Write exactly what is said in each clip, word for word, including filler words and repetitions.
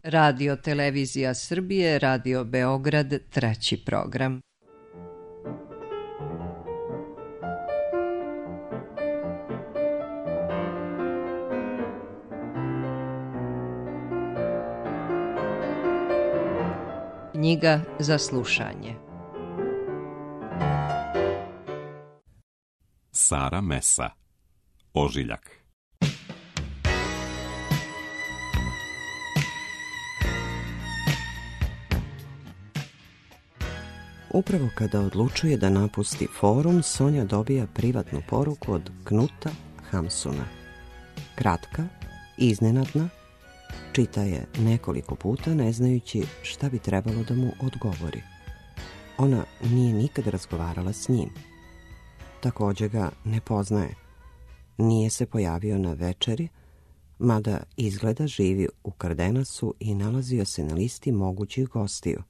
Radio Televizija Srbije, Radio Beograd, treći program. Knjiga za slušanje. Sara Mesa, Ožiljak. Upravo kada odlučuje da napusti forum, Sonja dobija privatnu poruku od Knuta Hamsuna. Kratka, iznenadna, čita je nekoliko puta ne znajući šta bi trebalo da mu odgovori. Ona nije nikad razgovarala s njim. Također ga ne poznaje. Nije se pojavio na večeri, mada izgleda živi u Kardenasu i nalazio se na listi mogućih gostiju.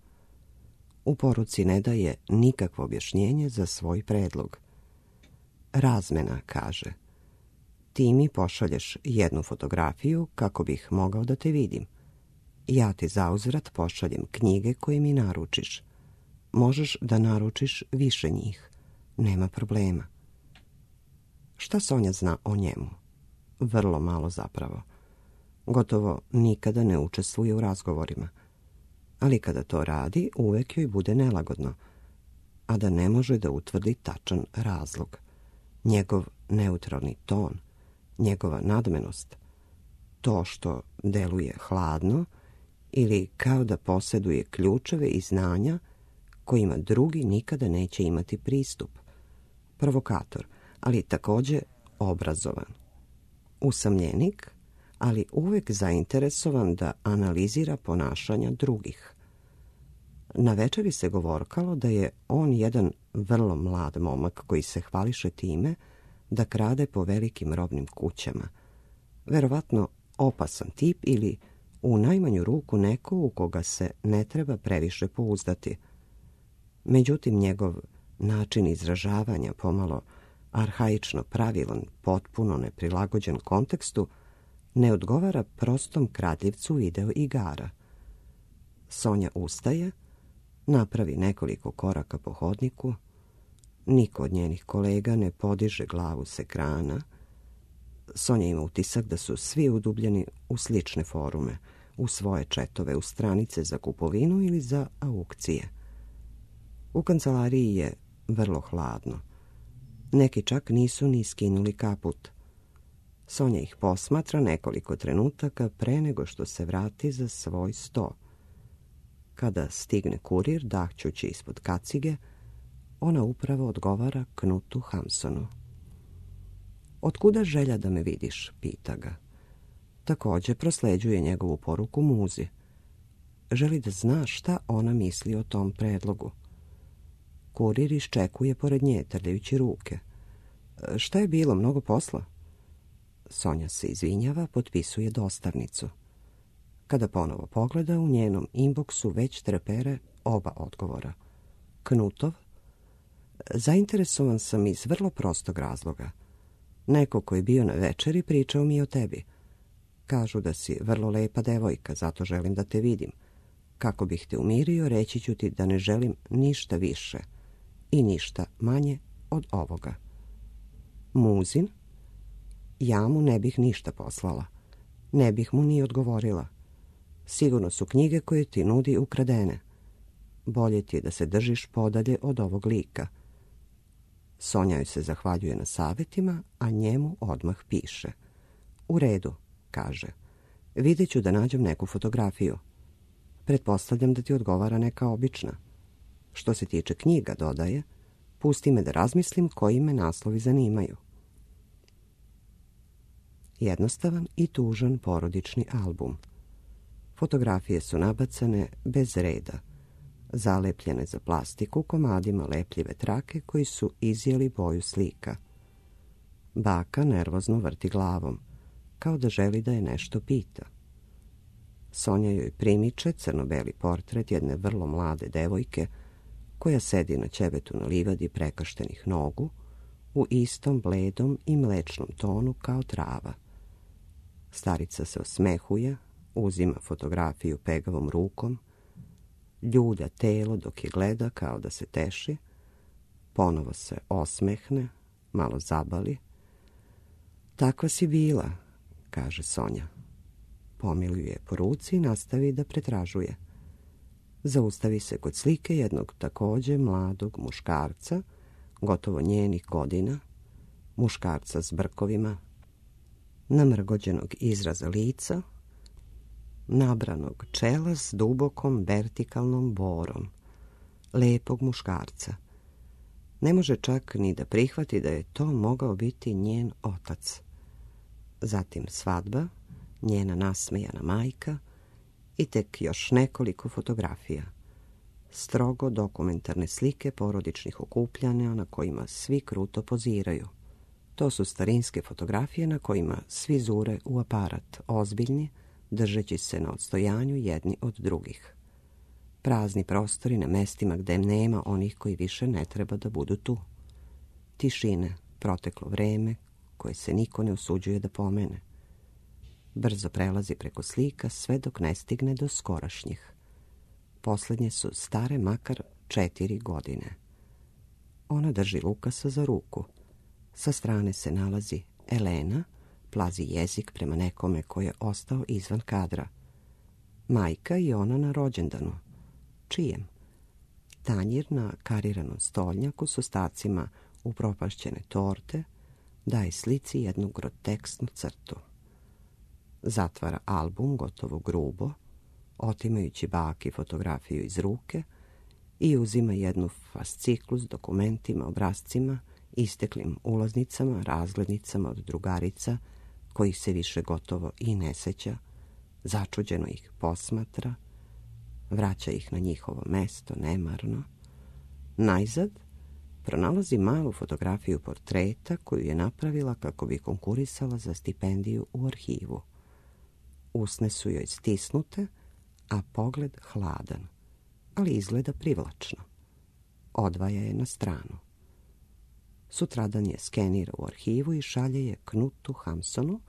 U poruci ne daje nikakvo objašnjenje za svoj predlog. Razmena, kaže. Ti mi pošalješ jednu fotografiju kako bih mogao da te vidim. Ja ti zauzvrat pošaljem knjige koje mi naručiš. Možeš da naručiš više njih. Nema problema. Šta Sonja zna o njemu? Vrlo malo zapravo. Gotovo nikada ne učestvuje u razgovorima. Ali kada to radi, uvek joj bude nelagodno, a da ne može da utvrdi tačan razlog. Njegov neutralni ton, njegova nadmenost, to što deluje hladno ili kao da posjeduje ključeve i znanja kojima drugi nikada neće imati pristup. Provokator, ali također obrazovan. Usamljenik, ali uvek zainteresovan da analizira ponašanja drugih. Na večeri se govorkalo da je on jedan vrlo mlad momak koji se hvališe time da krade po velikim robnim kućama. Verovatno opasan tip ili u najmanju ruku neko u koga se ne treba previše pouzdati. Međutim, njegov način izražavanja, pomalo arhaično pravilan, potpuno neprilagođen kontekstu, ne odgovara prostom kradljivcu video igara. Sonja ustaje, napravi nekoliko koraka po hodniku. Niko od njenih kolega ne podiže glavu s ekrana. Sonja ima utisak da su svi udubljeni u slične forume, u svoje četove, u stranice za kupovinu ili za aukcije. U kancelariji je vrlo hladno. Neki čak nisu ni skinuli kaput. Sonja ih posmatra nekoliko trenutaka pre nego što se vrati za svoj sto. Kada stigne kurir, dahćući ispod kacige, ona upravo odgovara Knutu Hamsonu. Otkuda želja da me vidiš, pita ga. Također prosleđuje njegovu poruku Muzi. Želi da zna šta ona misli o tom predlogu. Kurir iščekuje pored nje, trljajući ruke. Šta je bilo, mnogo posla? Sonja se izvinjava, potpisuje dostavnicu. Kada ponovo pogleda, u njenom inboxu već trepere oba odgovora. Knutov, zainteresovan sam iz vrlo prostog razloga. Neko koji je bio na večeri pričao mi o tebi. Kažu da si vrlo lepa devojka, zato želim da te vidim. Kako bih te umirio, reći ću ti da ne želim ništa više i ništa manje od ovoga. Muzin, ja mu ne bih ništa poslala. Ne bih mu ni odgovorila. Sigurno su knjige koje ti nudi ukradene. Bolje ti je da se držiš podalje od ovog lika. Sonja joj se zahvaljuje na savjetima, a njemu odmah piše. U redu, kaže. Vidjet ću da nađem neku fotografiju. Pretpostavljam da ti odgovara neka obična. Što se tiče knjiga, dodaje, pusti me da razmislim koji me naslovi zanimaju. Jednostavan i tužan porodični album. Fotografije su nabacane bez reda, zalepljene za plastiku komadima lepljive trake koji su izjeli boju slika. Baka nervozno vrti glavom, kao da želi da je nešto pita. Sonja joj primiče crno-beli portret jedne vrlo mlade devojke koja sedi na ćebetu na livadi prekaštenih nogu u istom bledom i mlečnom tonu kao trava. Starica se osmehuje, Uzima fotografiju pegavom rukom, ljulja telo dok je gleda kao da se teši, ponovo se osmehne, malo zabali. Takva si bila, kaže Sonja. Pomiljuje po ruci i nastavi da pretražuje. Zaustavi se kod slike jednog takođe mladog muškarca, gotovo njenih godina, muškarca s brkovima, namrgođenog izraza lica, nabranog čela s dubokom vertikalnom borom, lepog muškarca. Ne može čak ni da prihvati da je to mogao biti njen otac. Zatim svadba, njena nasmejana majka i tek još nekoliko fotografija. Strogo dokumentarne slike porodičnih okupljanja na kojima svi kruto poziraju. To su starinske fotografije na kojima svi zure u aparat, ozbiljni, držeći se na odstojanju jedni od drugih. Prazni prostori na mestima gde nema onih koji više ne treba da budu tu. Tišine, proteklo vreme koje se niko ne usuđuje da pomene. Brzo prelazi preko slika sve dok ne stigne do skorašnjih. Poslednje su stare makar četiri godine. Ona drži Lukasa za ruku. Sa strane se nalazi Elena, plazi jezik prema nekome koji je ostao izvan kadra. Majka i ona na rođendanu. Čijem? Tanjir na kariranom stolnjaku s ostacima upropašćene torte daje slici jednu groteksnu crtu. Zatvara album gotovo grubo, otimajući baki fotografiju iz ruke i uzima jednu fasciklu s dokumentima, obrazcima, isteklim ulaznicama, razglednicama od drugarica, kojih se više gotovo i ne seća, začuđeno ih posmatra, vraća ih na njihovo mesto nemarno. Najzad pronalazi malu fotografiju portreta koju je napravila kako bi konkurisala za stipendiju u arhivu. Usne su joj stisnute, a pogled hladan, ali izgleda privlačno. Odvaja je na stranu. Sutradan je skenira u arhivu i šalje je Knutu Hamsunu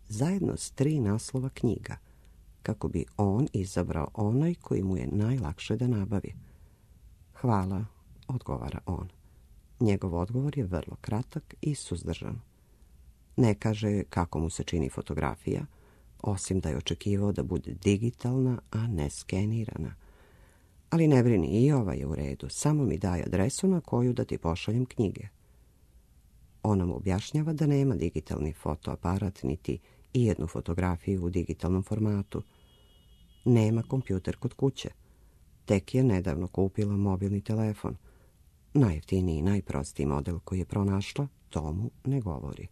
zajedno s tri naslova knjiga, kako bi on izabrao onaj koji mu je najlakše da nabavi. Hvala, odgovara on. Njegov odgovor je vrlo kratak i suzdržan. Ne kaže kako mu se čini fotografija, osim da je očekivao da bude digitalna, a ne skenirana. Ali ne brini, i ova je u redu, samo mi daj adresu na koju da ti pošaljem knjige. Ona mu objašnjava da nema digitalni fotoaparat niti i jednu fotografiju u digitalnom formatu. Nema kompjuter kod kuće. Tek je nedavno kupila mobilni telefon. Najjeftiniji i najprostiji model koji je pronašla, to mu ne govori.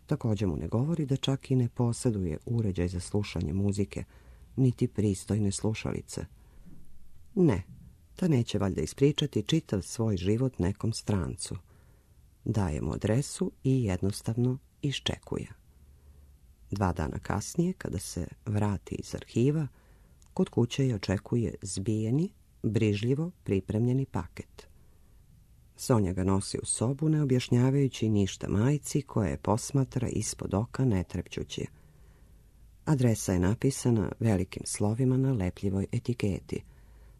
Također mu ne govori da čak i ne posjeduje uređaj za slušanje muzike, niti pristojne slušalice. Ne, ta neće valjda ispričati čitav svoj život nekom strancu. Daje mu adresu i jednostavno iščekuje. Dva dana kasnije, kada se vrati iz arhiva, kod kuće je očekuje zbijeni, brižljivo pripremljeni paket. Sonja ga nosi u sobu, ne objašnjavajući ništa majci, koja je posmatra ispod oka netrepćući. Adresa je napisana velikim slovima na lepljivoj etiketi,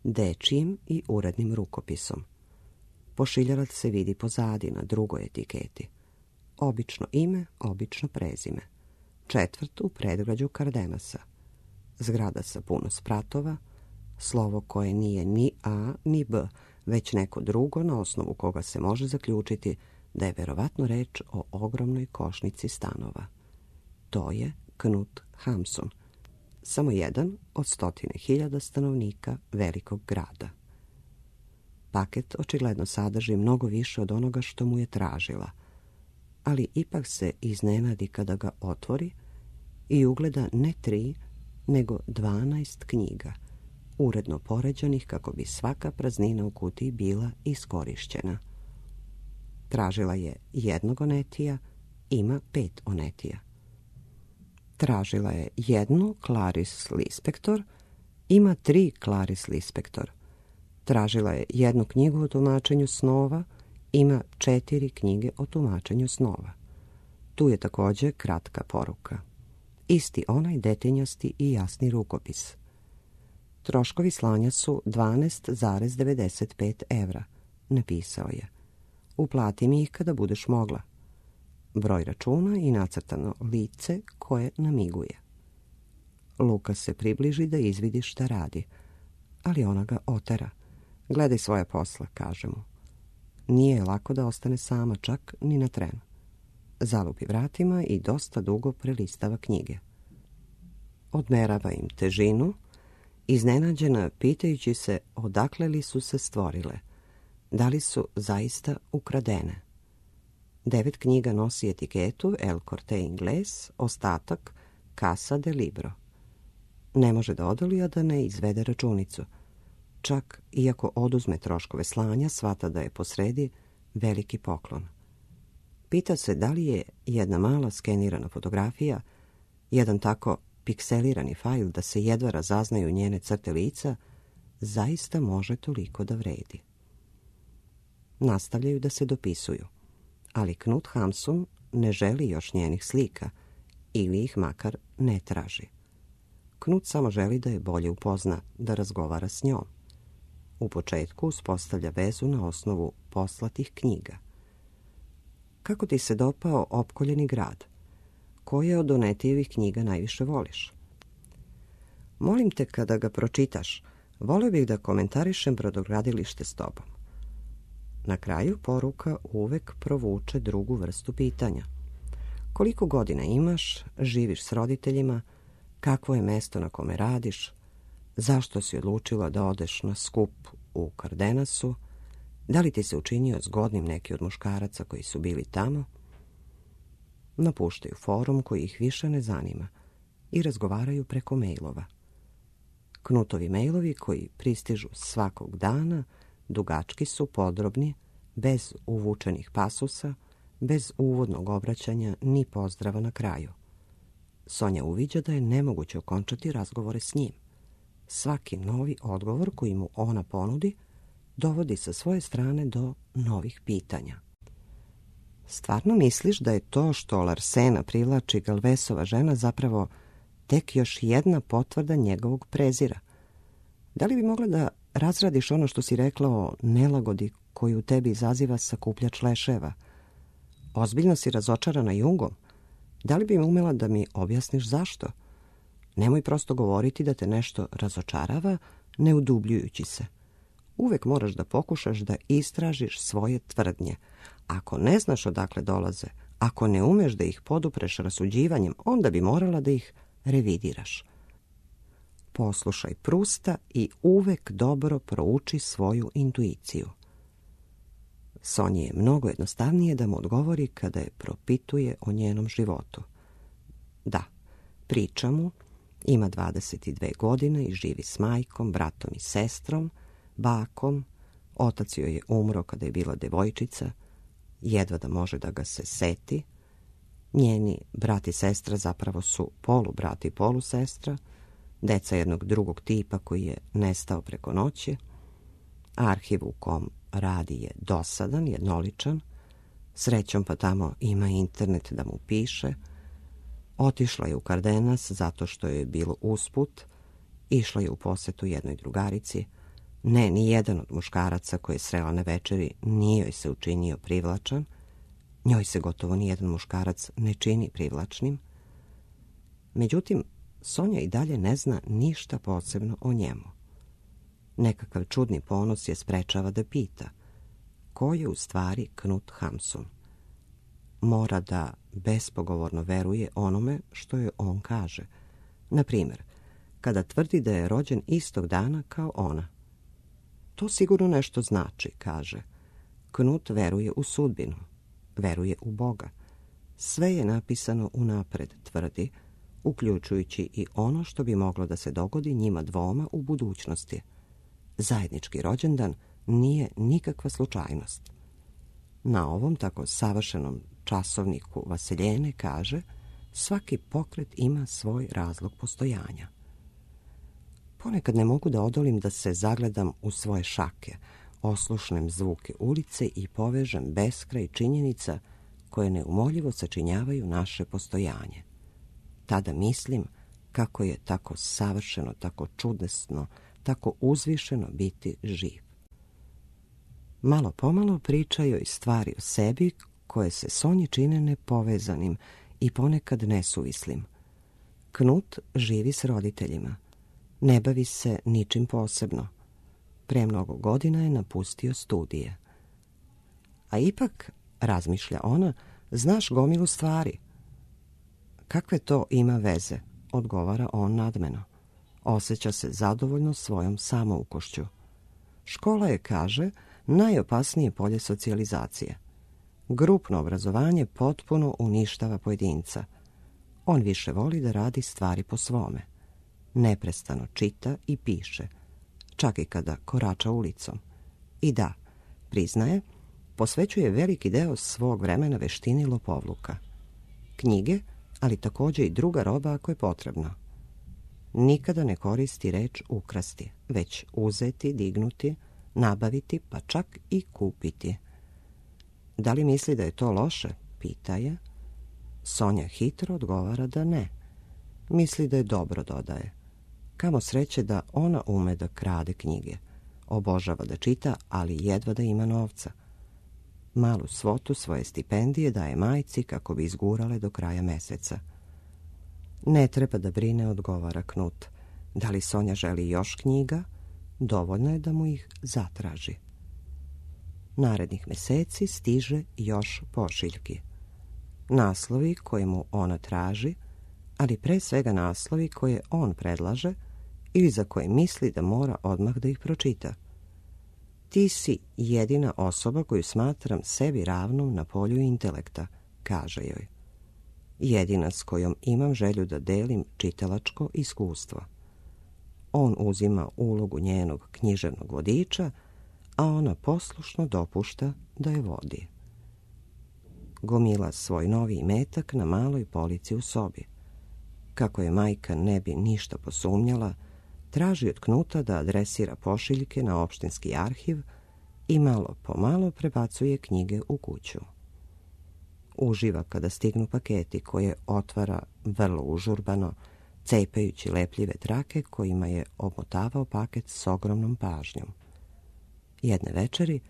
dečijim i urednim rukopisom. Pošiljalac se vidi pozadi na drugoj etiketi. Obično ime, obično prezime. Četvrt u predgrađu Kardenasa. Zgrada sa puno spratova, slovo koje nije ni A ni B, već neko drugo na osnovu koga se može zaključiti da je verovatno reč o ogromnoj košnici stanova. To je Knut Hamsun, samo jedan od stotine hiljada stanovnika velikog grada. Paket očigledno sadrži mnogo više od onoga što mu je tražila, ali ipak se iznenadi kada ga otvori i ugleda ne tri, nego dvanaest knjiga, uredno poređanih kako bi svaka praznina u kutiji bila iskorišćena. Tražila je jednog Onetija, ima pet Onetija. Tražila je jednu Clarice Lispector, ima tri Clarice Lispector. Tražila je jednu knjigu o tumačenju snova, ima četiri knjige o tumačenju snova. Tu je također kratka poruka. Isti onaj detinjasti i jasni rukopis. Troškovi slanja su dvanaest zarez devedeset pet evra, napisao je. Uplati mi ih kada budeš mogla. Broj računa i nacrtano lice koje namiguje. Luka se približi da izvidi šta radi, ali ona ga otera. Gledaj svoje posla, kaže mu. Nije je lako da ostane sama, čak ni na tren. Zalupi vratima i dosta dugo prelistava knjige. Odmerava im težinu, iznenađena pitajući se odakle li su se stvorile, da li su zaista ukradene. Devet knjiga nosi etiketu El Corte Inglés, ostatak Casa de Libro. Ne može da odoli, a da ne izvede računicu. Čak iako oduzme troškove slanja, shvata da je posredi veliki poklon. Pita se da li je jedna mala skenirana fotografija, jedan tako pikselirani fajl da se jedva razaznaju njene crte lica, zaista može toliko da vredi. Nastavljaju da se dopisuju, ali Knut Hamsun ne želi još njenih slika ili ih makar ne traži. Knut samo želi da je bolje upozna, da razgovara s njom. U početku uspostavlja vezu na osnovu poslatih knjiga. Kako ti se dopao Opkoljeni grad? Koje od Donetijevih knjiga najviše voliš? Molim te, kada ga pročitaš, volio bih da komentarišem brodogradilište s tobom. Na kraju poruka uvek provuče drugu vrstu pitanja. Koliko godina imaš, živiš s roditeljima, kakvo je mesto na kome radiš, zašto si odlučila da odeš na skup u Kardenasu, da li ti se učinio zgodnim neki od muškaraca koji su bili tamo? Napuštaju forum koji ih više ne zanima i razgovaraju preko mailova. Knutovi mailovi koji pristižu svakog dana dugački su, podrobni, bez uvučenih pasusa, bez uvodnog obraćanja ni pozdrava na kraju. Sonja uviđa da je nemoguće okončati razgovore s njim. Svaki novi odgovor koji mu ona ponudi dovodi sa svoje strane do novih pitanja. Stvarno misliš da je to što Larsena privlači Galvesova žena zapravo tek još jedna potvrda njegovog prezira? Da li bi mogla da razradiš ono što si rekla o nelagodi koju u tebi izaziva sakupljač leševa? Ozbiljno si razočarana Jungom? Da li bi umela da mi objasniš zašto? Nemoj prosto govoriti da te nešto razočarava, ne udubljujući se. Uvek moraš da pokušaš da istražiš svoje tvrdnje. Ako ne znaš odakle dolaze, ako ne umeš da ih podupreš rasuđivanjem, onda bi morala da ih revidiraš. Poslušaj Prusta i uvek dobro prouči svoju intuiciju. Sonji je mnogo jednostavnije da mu odgovori kada je propituje o njenom životu. Da, priča mu, ima dvadeset dve godine i živi s majkom, bratom i sestrom, bakom, otac joj je umro kada je bila devojčica, jedva da može da ga se seti. Njeni brat i sestra zapravo su polubrat i polusestra, deca jednog drugog tipa koji je nestao preko noći. Arhiv u kom radi je dosadan, jednoličan, srećom pa tamo ima internet da mu piše. Otišla je u Kardenas zato što je bilo usput, išla je u posetu jednoj drugarici. Ne, ni jedan od muškaraca koje je srela na večeri nije joj se učinio privlačan. Njoj se gotovo nijedan muškarac ne čini privlačnim. Međutim, Sonja i dalje ne zna ništa posebno o njemu. Nekakav čudni ponos je sprečava da pita ko je u stvari Knut Hamsun. Mora da bespogovorno veruje onome što joj on kaže. Na primjer, kada tvrdi da je rođen istog dana kao ona. To sigurno nešto znači, kaže. Knut veruje u sudbinu, veruje u Boga. Sve je napisano unapred, tvrdi, uključujući i ono što bi moglo da se dogodi njima dvoma u budućnosti. Zajednički rođendan nije nikakva slučajnost. Na ovom tako savršenom časovniku Vaseljene kaže svaki pokret ima svoj razlog postojanja. Ponekad ne mogu da odolim da se zagledam u svoje šake, oslušnem zvuke ulice i povežem beskraj činjenica koje neumoljivo sačinjavaju naše postojanje. tada mislim kako je tako savršeno, tako čudesno, tako uzvišeno biti živ. Malo pomalo pričaju i stvari o sebi koje se Sonji čine nepovezanim i ponekad nesuvislim. Knut živi s roditeljima. Ne bavi se ničim posebno. Pre mnogo godina je napustio studije. A ipak, razmišlja ona, znaš gomilu stvari. Kakve to ima veze, odgovara on nadmeno. Osjeća se zadovoljno svojom samoukošću. Škola je, kaže, najopasnije polje socijalizacije. Grupno obrazovanje potpuno uništava pojedinca. On više voli da radi stvari po svome. Neprestano čita i piše, čak i kada korača ulicom. I da, priznaje, posvećuje veliki deo svog vremena veštini lopovluka. Knjige, ali također i druga roba ako je potrebno. Nikada ne koristi reč ukrasti, već uzeti, dignuti, nabaviti, pa čak i kupiti. Da li misli da je to loše? Pita je. Sonja hitro odgovara da ne. Misli da je dobro, dodaje. Kamo sreće da ona ume da krade knjige. Obožava da čita, ali jedva da ima novca. Malu svotu svoje stipendije daje majci kako bi izgurale do kraja meseca. Ne treba da brine, odgovara Knut. Da li Sonja želi još knjiga? Dovoljno je da mu ih zatraži. Narednih meseci stiže još pošiljki. Naslovi koje mu ona traži, ali pre svega naslovi koje on predlaže ili za koje misli da mora odmah da ih pročita. Ti si jedina osoba koju smatram sebi ravnom na polju intelekta, kaže joj. Jedina s kojom imam želju da delim čitalačko iskustvo. On uzima ulogu njenog književnog vodiča, a ona poslušno dopušta da je vodi. Gomila svoj novi imetak na maloj polici u sobi. Kako je majka ne bi ništa posumnjala, traži od Knuta da adresira pošiljke na opštinski arhiv i malo po malo prebacuje knjige u kuću. Uživa kada stignu paketi koje otvara vrlo užurbano, cepajući lepljive trake kojima je omotavao paket s ogromnom pažnjom. Jedne večeri,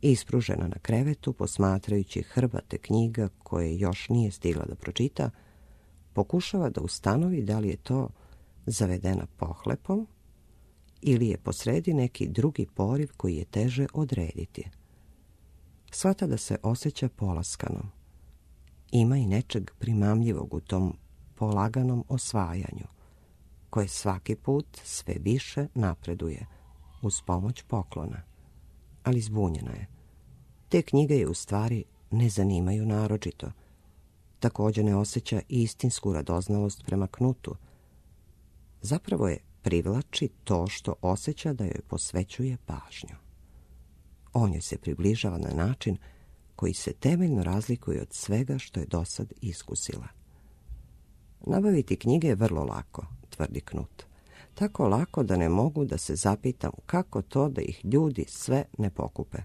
ispružena na krevetu, posmatrajući hrbate knjiga koje još nije stigla da pročita, pokušava da ustanovi da li je to zavedena pohlepom ili je posredi neki drugi poriv koji je teže odrediti. Shvata da se osjeća polaskanom. Ima i nečeg primamljivog u tom polaganom osvajanju, koje svaki put sve više napreduje uz pomoć poklona. Ali zbunjena je. Te knjige je u stvari ne zanimaju naročito. Također ne osjeća istinsku radoznalost prema Knutu. Zapravo je privlači to što osjeća da joj posvećuje pažnju. On joj se približava na način koji se temeljno razlikuje od svega što je dosad iskusila. Nabaviti knjige je vrlo lako, tvrdi Knut. Tako lako da ne mogu da se zapitam kako to da ih ljudi sve ne pokupe.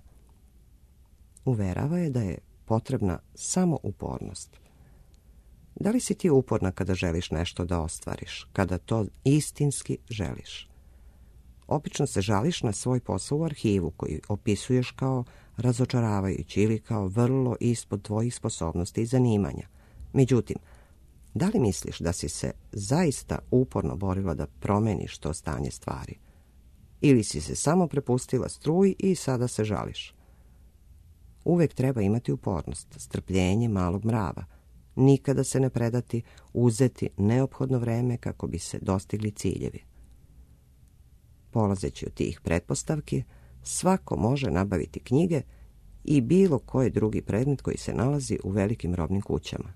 Uverava je da je potrebna samo upornost. Da li si ti uporna kada želiš nešto da ostvariš, kada to istinski želiš? Obično se žališ na svoj posao u arhivu koji opisuješ kao razočaravajući ili kao vrlo ispod tvojih sposobnosti i zanimanja. Međutim, da li misliš da si se zaista uporno borila da promeniš to stanje stvari? Ili si se samo prepustila struji i sada se žališ? Uvek treba imati upornost, strpljenje malog mrava, nikada se ne predati, uzeti neophodno vreme kako bi se dostigli ciljevi. Polazeći od tih pretpostavki, svako može nabaviti knjige i bilo koji drugi predmet koji se nalazi u velikim robnim kućama.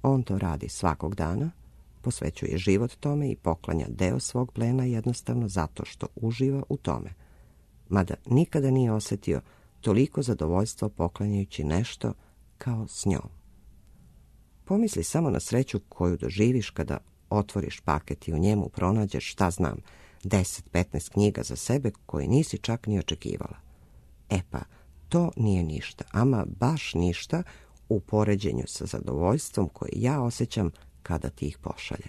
On to radi svakog dana, posvećuje život tome i poklanja deo svog plena jednostavno zato što uživa u tome, mada nikada nije osjetio toliko zadovoljstvo poklanjajući nešto kao s njom. Pomisli samo na sreću koju doživiš kada otvoriš paket i u njemu pronađeš, šta znam, deset petnaest knjiga za sebe koje nisi čak ni očekivala. E pa, to nije ništa, ama baš ništa u poređenju sa zadovoljstvom koje ja osjećam kada ti ih pošalje.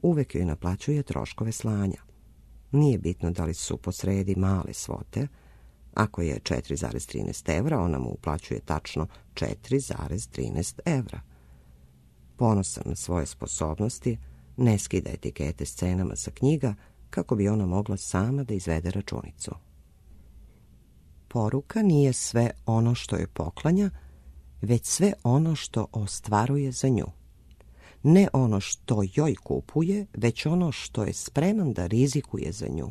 Uvek joj naplaćuje troškove slanja. Nije bitno da li su posredi male svote. Ako je četiri zarez trinaest evra, ona mu uplaćuje tačno četiri zarez trinaest evra. Ponosan na svoje sposobnosti, ne skida etikete s cenama sa knjiga kako bi ona mogla sama da izvede računicu. Poruka nije sve ono što joj poklanja, već sve ono što ostvaruje za nju. Ne ono što joj kupuje, već ono što je spreman da rizikuje za nju.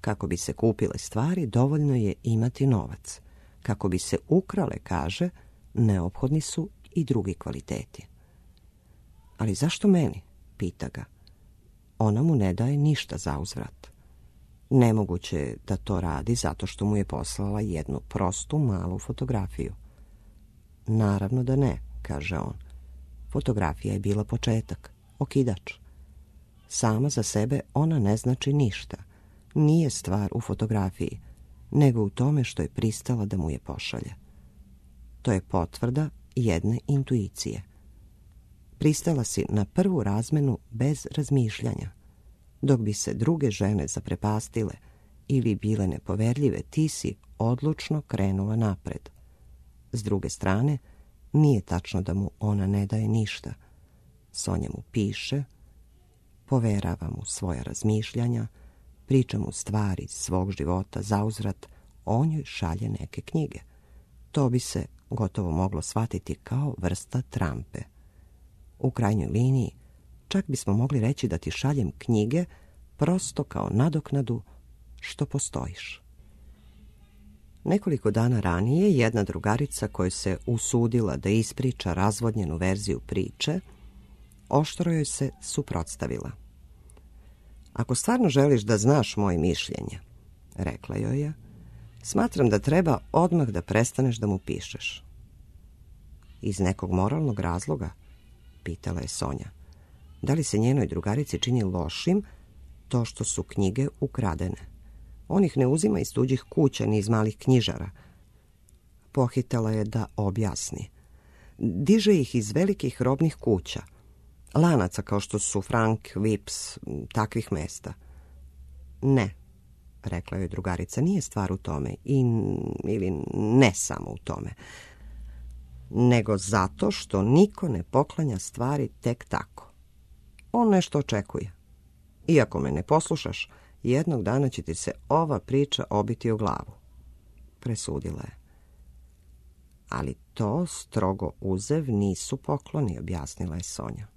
Kako bi se kupile stvari, dovoljno je imati novac. Kako bi se ukrale, kaže, neophodni su i drugi kvaliteti. Ali zašto meni? Pita ga. Ona mu ne daje ništa za uzvrat. Nemoguće je da to radi zato što mu je poslala jednu prostu malu fotografiju. Naravno da ne, kaže on. Fotografija je bila početak, okidač. Sama za sebe ona ne znači ništa. Nije stvar u fotografiji, nego u tome što je pristala da mu je pošalje. To je potvrda jedne intuicije. Pristala si na prvu razmenu bez razmišljanja. Dok bi se druge žene zaprepastile ili bile nepoverljive, ti si odlučno krenula napred. S druge strane, nije tačno da mu ona ne daje ništa. Sonja mu piše, poverava mu svoja razmišljanja, priča mu stvari iz svog života, zauzvrat on joj šalje neke knjige. To bi se gotovo moglo shvatiti kao vrsta trampe. U krajnjoj liniji, čak bismo mogli reći da ti šaljem knjige prosto kao nadoknadu što postojiš. Nekoliko dana ranije jedna drugarica koja se usudila da ispriča razvodnjenu verziju priče, oštro joj se suprotstavila. Ako stvarno želiš da znaš moje mišljenje, rekla joj je, smatram da treba odmah da prestaneš da mu pišeš. Iz nekog moralnog razloga, pitala je Sonja. Da li se njenoj drugarici čini lošim to što su knjige ukradene? On ih ne uzima iz tuđih kuća ni iz malih knjižara. Pohitala je da objasni. Diže ih iz velikih robnih kuća, lanaca kao što su Frank, Vips, takvih mesta. Ne, rekla joj drugarica, nije stvar u tome, i, ili ne samo u tome, nego zato što niko ne poklanja stvari tek tako. On nešto očekuje. Iako me ne poslušaš, jednog dana će ti se ova priča obiti o glavu. Presudila je. Ali to, strogo uzev, nisu pokloni, objasnila je Sonja.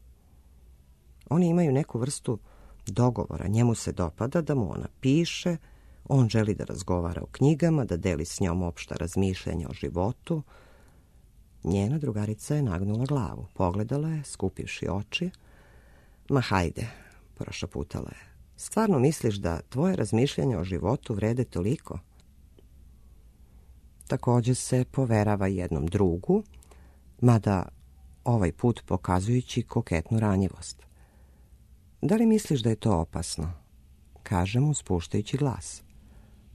Oni imaju neku vrstu dogovora. Njemu se dopada da mu ona piše, on želi da razgovara o knjigama, da deli s njom opšta razmišljanja o životu. Njena drugarica je nagnula glavu. Pogledala je, skupivši oči. Ma hajde, prošaputala je. Stvarno misliš da tvoje razmišljanja o životu vrede toliko? Također se poverava jednom drugu, mada ovaj put pokazujući koketnu ranjivost. Da li misliš da je to opasno? Kaže mu spuštajući glas.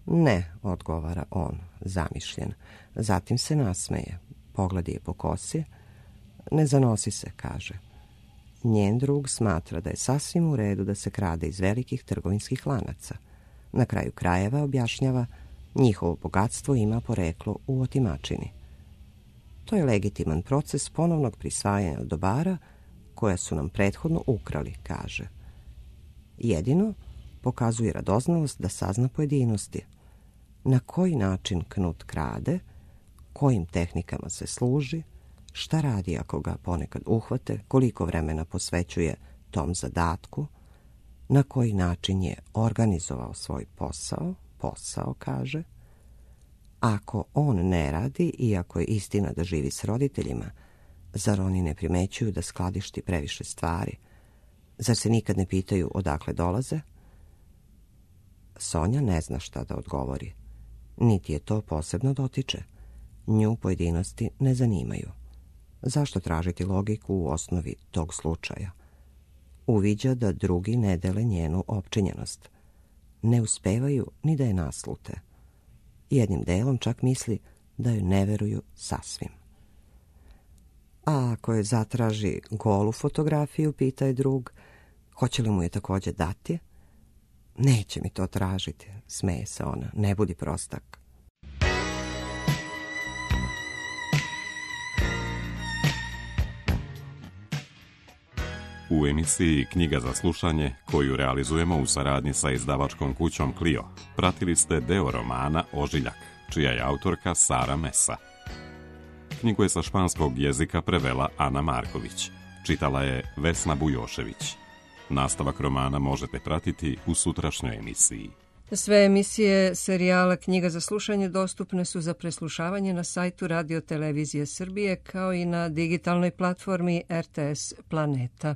Ne, odgovara on, zamišljen. Zatim se nasmeje. Pogledi je po kosi. Ne zanosi se, kaže. Njen drug smatra da je sasvim u redu da se krade iz velikih trgovinskih lanaca. Na kraju krajeva, objašnjava, njihovo bogatstvo ima poreklo u otimačini. To je legitiman proces ponovnog prisvajanja dobara koja su nam prethodno ukrali, kaže. Jedino pokazuje radoznalost da sazna pojedinosti. Na koji način Knut krade, kojim tehnikama se služi, šta radi ako ga ponekad uhvate, koliko vremena posvećuje tom zadatku, na koji način je organizovao svoj posao, posao, kaže. Ako on ne radi, iako je istina da živi s roditeljima, zar oni ne primećuju da skladišti previše stvari? Zar se nikad ne pitaju odakle dolaze? Sonja ne zna šta da odgovori. Niti je to posebno dotiče. Nju pojedinosti ne zanimaju. Zašto tražiti logiku u osnovi tog slučaja? Uviđa da drugi ne dele njenu opčinjenost. Ne uspevaju ni da je naslute. Jednim delom čak misli da joj ne veruju sasvim. A ako je zatraži golu fotografiju, pita je drug, hoće li mu je također dati? Neće mi to tražiti, smeje se ona, ne budi prostak. U emisiji Knjiga za slušanje, koju realizujemo u saradnji sa izdavačkom kućom Clio, pratili ste deo romana Ožiljak, čija je autorka Sara Mesa. Knjigu je sa španskog jezika prevela Ana Marković, čitala je Vesna Bujošević. Nastavak romana možete pratiti u sutrašnjoj emisiji. Sve emisije serijala Knjiga za slušanje dostupne su za preslušavanje na sajtu Radio Televizije Srbije kao i na digitalnoj platformi R T S Planeta.